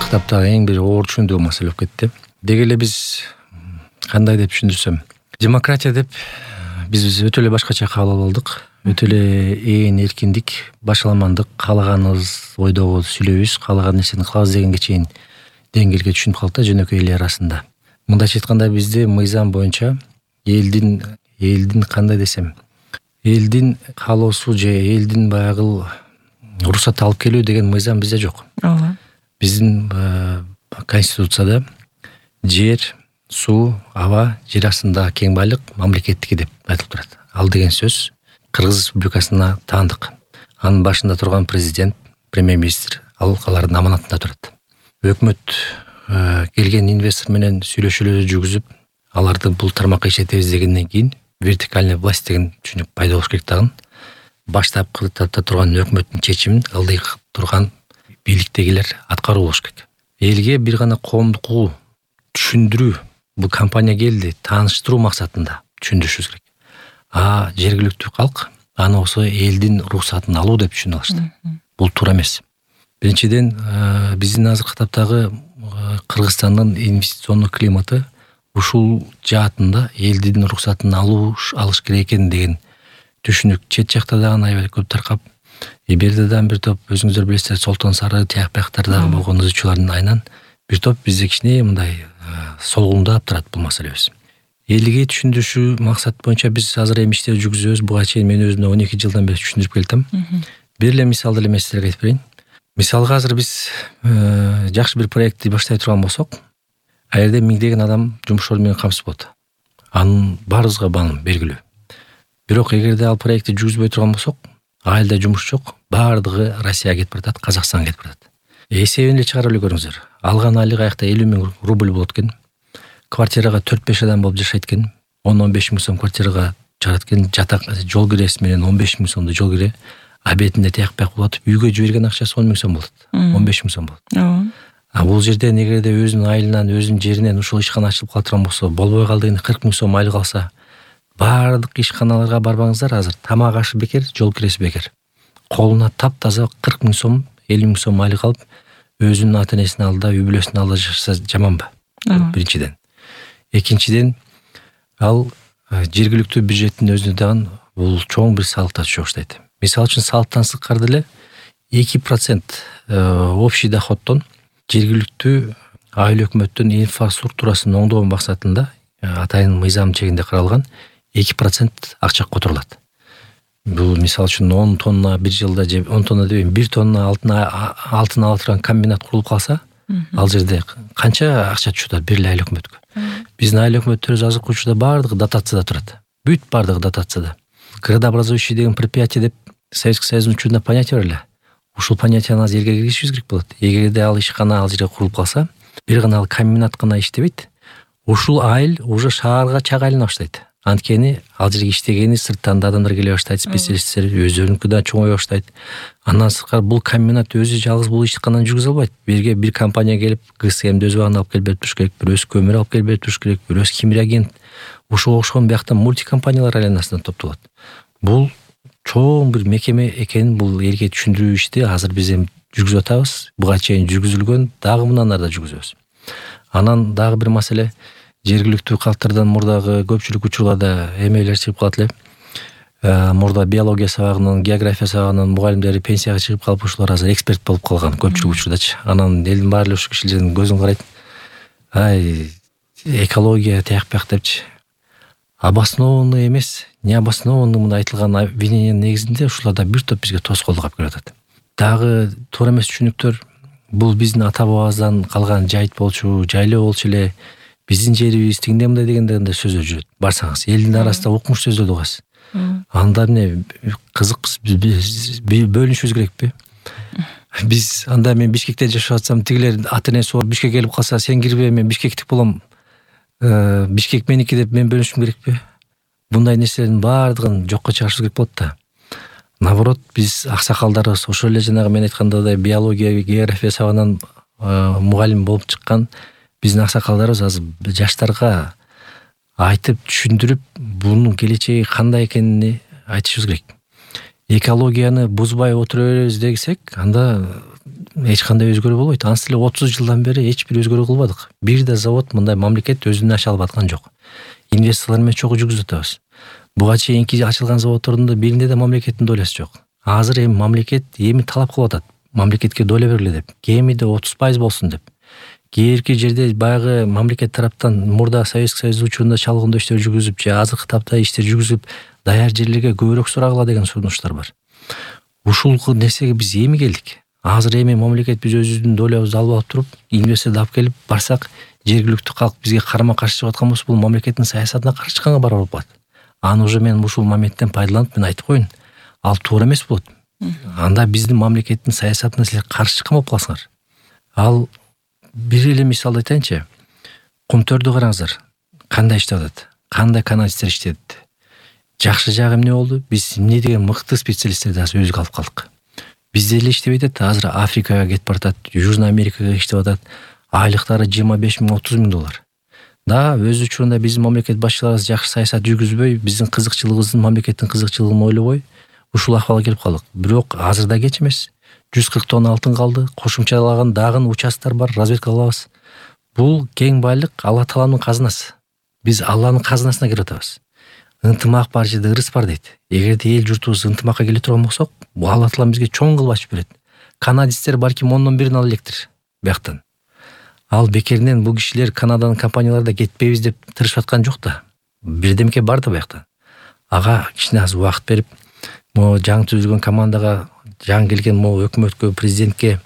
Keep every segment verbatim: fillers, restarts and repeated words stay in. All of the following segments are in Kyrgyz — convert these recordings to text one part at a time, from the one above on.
китаптагы эң бир оор түшүндүү маселе болуп кетти. Деги эле биз кандай деп түшүндүрсөм, демократия деп биз өтө эле башкача кабыл алып алдык. Өтө эле ээн эркиндик, башаламандык, каалаганыбыз ойдогу сүйлөйбүз, каалаган нерсени кылабыз дегенге чейин деңгээлге түшүнүп калдык да жөнөкөй эл арасында. Мындайча айтканда бизде мыйзам боюнча элдин элдин кандай десем, элдин каалоосу же элдин баягы уруксат алып келүү деген мыйзам бизде жок. Ооба. Биздин конституцияда жер, суу, аба, жер астында кең байлык мамлекеттики деп айтылып турат. Ал деген сөз Кыргыз Республикасына таандык. Анын башында турган президент, премьер-министр ал алардын аманатында турат. Өкмөт келген инвестор менен сүйлөшүүлөрдү жүргүзүп, аларды бул тармакка ишетебиз дегенден кийин вертикальная власть деген түшүнүк пайда болуш керек дагы. Баштапкы этапта турган өкмөттүн чечимин ылдый турган бийликтегилер аткаруу болуш керек. Элге бир гана коомдук угуу түшүндүрүү, бул компания келди, тааныштыруу максатында түшүндүрүшүбүз керек. А жергиликтүү калк аны болсо элдин уруксатын алуу деп түшүнүп алышты. Бул туура эмес. Биринчиден, биздин азыркы таптагы Кыргызстандын инвестициондук климаты ушул жаатында элдин уруксатын алуу алыш керек экен деген түшүнүк чет жакта дагы аябай көп таркап, эберде дагы бир топ өзүңүздөр билесиздер, Солтон Сары, тияк бияктардагы болгон ызчуулардын айынан бир топ бизде кичине мындай солгундап турат бул маселебиз. Элге түшүндүрүшүү максат боюнча биз азыр эми иштеп жүргүзөбүз. Буга чейин мен өзүм он эки жылдан бери түшүндүрүп келатам. Бир эле мисалды эле мен силерге айтып берейин. Мисалга азыр биз жакшы бир проектти баштай турган болсок, а жерде миңдеген адам жумуш орду менен камсыз болот. Анын баарыбызга маалым, белгилүү. Бирок эгерде ал проектти жүргүзбөй турган болсок, айылда жумуш жок, баардыгы Россияга кетип баратат, Казакстанга кетип баратат. Эсебин эле чыгарып эле көрүңүздөр. Алган айлык аякта элүү миң рубль болот экен. Квартирага төрт беш адам болуп жашайт экен. он он беш миң сом квартирага чыгарат экен. Жатак, жол киреси менен он беш миң сомду жол кире. Абетинде тияк бияк болот. Үйгө жиберген акчасы он миң сом болот. он беш миң сом болот. Ооба. А бул жерде эгерде өзүнүн айылынан, өзүнүн жеринен ушул ишкана ачылып калдырган болсо, болбой калды дегенде кырк миң сом айлык алса, баардык ишканаларга барбаңыздар, азыр тамак ашы бекер, жол киреси бекер. Колуна таптаза кырк миң сом, элүү миң сом айлык алып, өзүнүн ата-энесинин алдында, үй бүлөсүнүн алдында жашаса жаманбы? Биринчиден. Экинчиден, ал жергиликтүү бюджеттин өзүнө дагы бул чоң бир салык түшө баштайт. Мисалы үчүн салыктан сырткары деле эки процент общий доходдон жергиликтүү айыл өкмөттүн инфраструктурасын оңдоо максатында атайын мыйзам чегинде каралган эки процент акча которулат. Бул мисалы үчүн он тонна бир жылда же он тонна дебейм, бир тонна алтын алтын ала турган комбинат курулуп калса, ал жерде канча акча түшөт бир эле айыл өкмөткө. Биздин айыл өкмөттөрүбүз азыркы учурда баардыгы дотацияда турат. Бүт баардыгы дотацияда. Градообразующий деген предприятие деп Советский Союздун учурунда понятие бар эле. Ушул понятияны азыр элге киргизишибиз керек болот. Эгерде ал ишкана ал жерге курулуп калса, бир гана ал комбинат гана иштебейт. Ушул айыл уже шаарга чак айлана баштайт. Анткени ал жерге иштегени сырттан да адамдар келе баштайт, специалисттер өздөрүнүкү да чоңое баштайт. Андан сырткары бул комбинат өзү жалгыз бул ишкананы жүргүзө албайт. Бирге бир компания келип, ГСМди өз убагында алып келип берип туруш керек, бирөөсү көмүр алып келип берип туруш керек, бирөөсү химия агент. Ушуга окшогон биякта мультикомпаниялар айланасында топтолот. Бул чоң бир мекеме экенин бул элге түшүндүрүү ишти азыр биз эми жүргүзүп атабыз. Буга чейин жүргүзүлгөн, дагы мындан ары да жүргүзөбүз. Анан дагы бир маселе, жергиликтүү калктардан мурдагы көпчүлүк учурларда эмелер чыгып калат эле. Мурда биология сабагынын, география сабагынын мугалимдери пенсияга чыгып калып, ушулар азыр эксперт болуп калган көпчүлүк учурдачы. Анан элдин баары эле ушул кишилердин көзүн карайт. Ай, экология тияк бияк депчи. Обоснованный эмес, не обоснованный мына айтылган обвинениянын негизинде ушуларда бир топ бизге тоскоолдук алып келип атат. Дагы туура эмес түшүнүктөр, бул биздин ата бабабыздан калган жайыт болчу, жайлоо болчу эле, биздин жерибиз тигиндей мындай дегендей сөздөр жүрөт. Барсаңыз, элдин арасында укмуш сөздөрдү угасыз. Анда эмне кызык, бөлүнүшүбүз керекпи? Биз анда мен Бишкекте жашап атсам, тигилер ата-энеси бар Бишкекке келип калса, сен кирбе, мен Бишкектик болом. Бишкек меники деп мен бөлүшүм керекпи? Мындай нерселердин баардыгын жокко чыгарыш керек болот да. Наоборот, биз аксакалдарыбыз ошол эле жанагы мен айткандай биология, география сабагынан мугалим болуп чыккан биздин аксакалдарыбыз азыр жаштарга айтып түшүндүрүп, бунун келечеги кандай экенин айтышыбыз керек. Экологияны бузбай отура беребиз десек, анда эч кандай өзгөрүү болбойт. Антип эле отуз жылдан бери эч бир өзгөрүү кылбадык. Бир да завод мындай мамлекет өзүнөн аша алып аткан жок. Инвесторлор менен чогуу жүргүзүп атабыз. Буга чейинки ачылган заводдордун да биринде да мамлекеттин доласы жок. Азыр эми мамлекет эми талап кылып атат. Мамлекетке доля бергиле деп. Кемиде отуз пайыз болсун деп. Кээинки жерде баягы мамлекет тараптан мурда Советский Союз учурунда чалгындоо иштер жүргүзүп же азыркы тапта иштер жүргүзүп даяр жерлерге көбүрөөк сурагыла деген сунуштар бар. Ушул нерсеге биз эми келдик. Азыр эми мамлекет биз өзүбүздүн долябызды алып алып туруп, инвесторду алып келип барсак, жергиликтүү калк бизге карама каршы чыгып аткан болсо, бул мамлекеттин саясатына каршы чыкканга барабар болуп калат. Аны уже мен ушул моменттен пайдаланып мен айтып коеюн. Ал туура эмес болот. Анда биздин мамлекеттин саясатына силер каршы чыккан болуп каласыңар. Ал бир эле мисалды айтайынчы. Кумтөрдү караңыздар. Кандай иштеп атат? Кандай каналисттер иштедит? Жакшы жагы эмне болду? Биз эмне деген мыкты специалисттерди азыр өзүгө алып калдык. Бизде эле иштебей атат, азыр Африкага кетип баратат, Южный Америкага иштеп атат. Айлыктары жыйырма беш миң отуз миң доллар. Да, өз учурунда биздин мамлекет башчыларыбыз жакшы саясат жүргүзбөй, биздин кызыкчылыгыбыздын, мамлекеттин кызыкчылыгын ойлобой, ушул акыбалга келип калдык. Бирок азырда кеч эмес. жүз кырк тонна алтын калды, кошумчалаган дагы участтар бар, разведка кылабыз. Бул кең байлык Алла Тааланын казынасы. Биз Алланын казынасына кирип атабыз. Ынтымак бар жерде ырыс бар дейт. Эгерде эл журтубуз ынтымакка келе турган болсок, бул Алла Таала бизге чоң кылып ачып берет. Канадисттер балким ондон бирин ала электир бияктан. Ал бекеринен бул кишилер Канаданын компанияларда кетпейбиз деп тырышып аткан жок да. Бирдемке бар да бияктан. Ага кичине аз убакыт берип, могу жаңы түзүлгөн командага, жаңы келген могу өкмөткө, президентке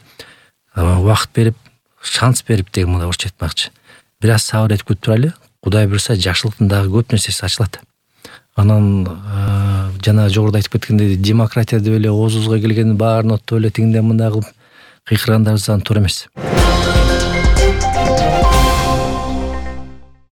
убакыт берип, шанс берип деген мындай орусча айтмакчы. Бир аз сабыр этип күтүп турайлы. Кудай буйрса жакшылыктын дагы көп нерсеси ачылат. Анан жана жогоруда айтып кеткендей, демократия деп эле оозубузга келгенин баарын оттоп эле тигинден мындай кылып кыйкыргандарыбыз туура эмес.